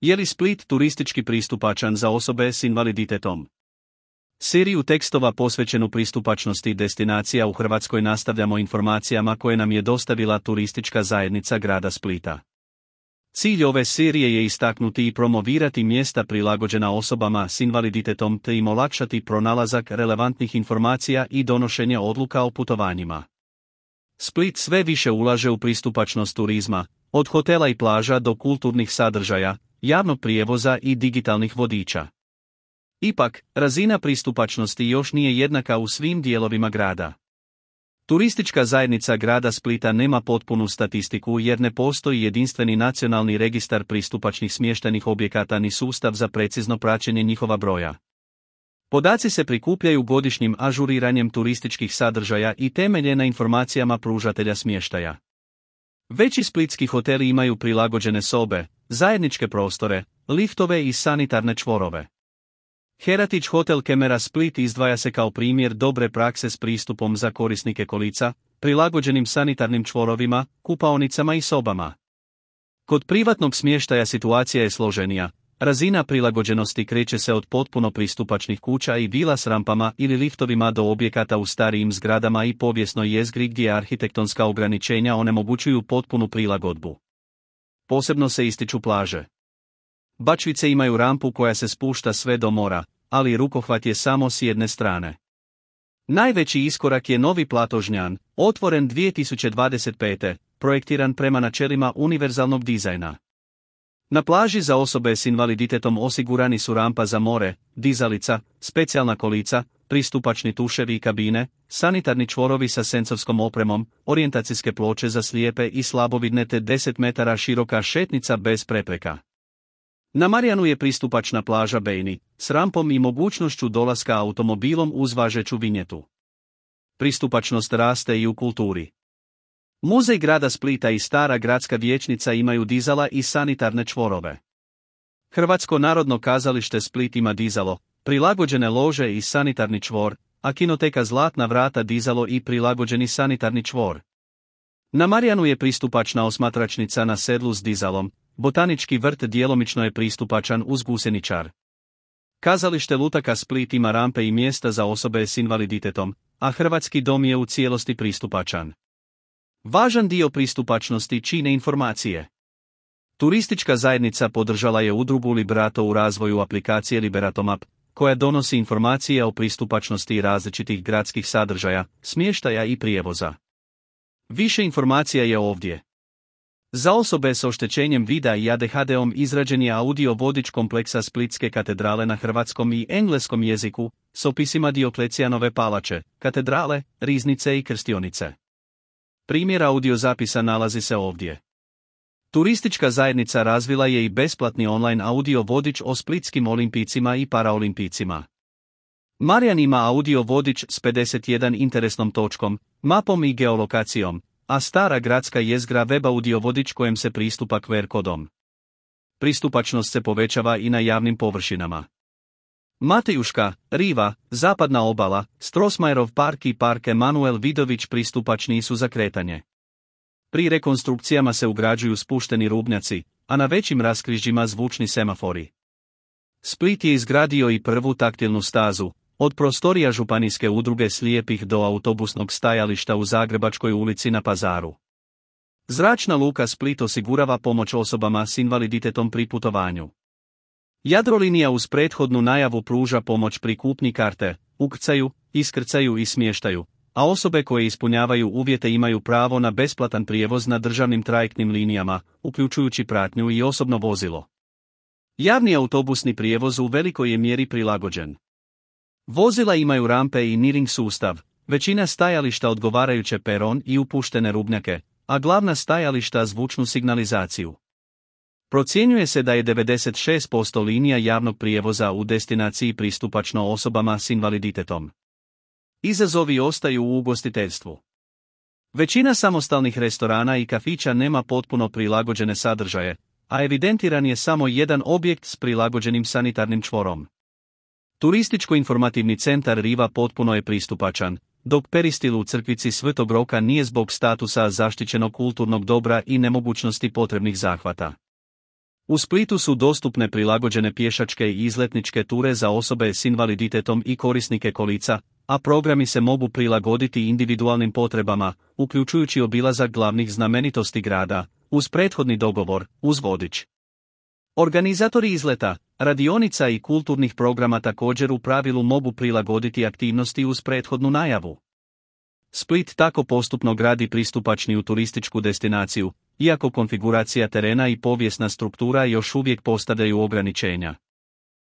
Je li Split turistički pristupačan za osobe s invaliditetom? Seriju tekstova posvećenu pristupačnosti destinacija u Hrvatskoj nastavljamo informacijama koje nam je dostavila turistička zajednica grada Splita. Cilj ove serije je istaknuti i promovirati mjesta prilagođena osobama s invaliditetom te im olakšati pronalazak relevantnih informacija i donošenje odluka o putovanjima. Split sve više ulaže u pristupačnost turizma, od hotela i plaža do kulturnih sadržaja, javnog prijevoza i digitalnih vodiča. Ipak, razina pristupačnosti još nije jednaka u svim dijelovima grada. Turistička zajednica grada Splita nema potpunu statistiku jer ne postoji jedinstveni nacionalni registar pristupačnih smještajnih objekata ni sustav za precizno praćenje njihova broja. Podaci se prikupljaju godišnjim ažuriranjem turističkih sadržaja i temelje na informacijama pružatelja smještaja. Veći splitski hoteli imaju prilagođene sobe, zajedničke prostore, liftove i sanitarne čvorove. Heritage Hotel Kemera Split izdvaja se kao primjer dobre prakse s pristupom za korisnike kolica, prilagođenim sanitarnim čvorovima, kupaonicama i sobama. Kod privatnog smještaja situacija je složenija. Razina prilagođenosti kreće se od potpuno pristupačnih kuća i vila s rampama ili liftovima do objekata u starijim zgradama i povijesnoj jezgri gdje arhitektonska ograničenja onemogućuju potpunu prilagodbu. Posebno se ističu plaže. Bačvice imaju rampu koja se spušta sve do mora, ali rukohvat je samo s jedne strane. Najveći iskorak je novi plato Žnjan, otvoren 2025. projektiran prema načelima univerzalnog dizajna. Na plaži za osobe s invaliditetom osigurani su rampa za more, dizalica, specijalna kolica, pristupačni tuševi i kabine, sanitarni čvorovi sa senzorskom opremom, orijentacijske ploče za slijepe i slabovidne te 10 metara široka šetnica bez prepreka. Na Marjanu je pristupačna plaža Bejni, s rampom i mogućnošću dolaska automobilom uz važeću vinjetu. Pristupačnost raste i u kulturi. Muzej grada Splita i Stara gradska vijećnica imaju dizala i sanitarne čvorove. Hrvatsko narodno kazalište Split ima dizalo, prilagođene lože i sanitarni čvor, a kinoteka Zlatna vrata dizalo i prilagođeni sanitarni čvor. Na Marjanu je pristupačna osmatračnica na sedlu s dizalom, botanički vrt djelomično je pristupačan uz gusjeničar. Kazalište Lutaka Split ima rampe i mjesta za osobe s invaliditetom, a Hrvatski dom je u cijelosti pristupačan. Važan dio pristupačnosti čine informacije. Turistička zajednica podržala je udrugu Liberato u razvoju aplikacije Liberatomap, koja donosi informacije o pristupačnosti različitih gradskih sadržaja, smještaja i prijevoza. Više informacija je ovdje. Za osobe s oštećenjem vida i ADHD-om izrađen je audio vodič kompleksa Splitske katedrale na hrvatskom i engleskom jeziku, s opisima Dioklecijanove palače, katedrale, riznice i krstionice. Primjer audio zapisa nalazi se ovdje. Turistička zajednica razvila je i besplatni online audio vodič o splitskim olimpijcima i paraolimpijcima. Marjan ima audio vodič s 51 interesnom točkom, mapom i geolokacijom, a Stara gradska jezgra web audio vodič kojem se pristupa QR kodom. Pristupačnost se povećava i na javnim površinama. Matejuška, Riva, Zapadna obala, Strossmayerov park i park Emanuel Vidović pristupačni su za kretanje. Pri rekonstrukcijama se ugrađuju spušteni rubnjaci, a na većim raskrižjima zvučni semafori. Split je izgradio i prvu taktilnu stazu, od prostorija županijske udruge slijepih do autobusnog stajališta u Zagrebačkoj ulici na Pazaru. Zračna luka Split osigurava pomoć osobama s invaliditetom pri putovanju. Jadrolinija uz prethodnu najavu pruža pomoć pri kupnji karte, ukrcaju, iskrcaju i smještaju, a osobe koje ispunjavaju uvjete imaju pravo na besplatan prijevoz na državnim trajektnim linijama, uključujući pratnju i osobno vozilo. Javni autobusni prijevoz u velikoj je mjeri prilagođen. Vozila imaju rampe i nearing sustav, većina stajališta odgovarajuće peron i upuštene rubnjake, a glavna stajališta zvučnu signalizaciju. Procjenjuje se da je 96% linija javnog prijevoza u destinaciji pristupačno osobama s invaliditetom. Izazovi ostaju u ugostiteljstvu. Većina samostalnih restorana i kafića nema potpuno prilagođene sadržaje, a evidentiran je samo jedan objekt s prilagođenim sanitarnim čvorom. Turističko-informativni centar Riva potpuno je pristupačan, dok peristil u crkvici Svetog Roka nije zbog statusa zaštićenog kulturnog dobra i nemogućnosti potrebnih zahvata. U Splitu su dostupne prilagođene pješačke i izletničke ture za osobe s invaliditetom i korisnike kolica, a programi se mogu prilagoditi individualnim potrebama, uključujući obilazak glavnih znamenitosti grada, uz prethodni dogovor, uz vodič. Organizatori izleta, radionica i kulturnih programa također u pravilu mogu prilagoditi aktivnosti uz prethodnu najavu. Split tako postupno gradi pristupačniju turističku destinaciju, iako konfiguracija terena i povijesna struktura još uvijek postavljaju ograničenja.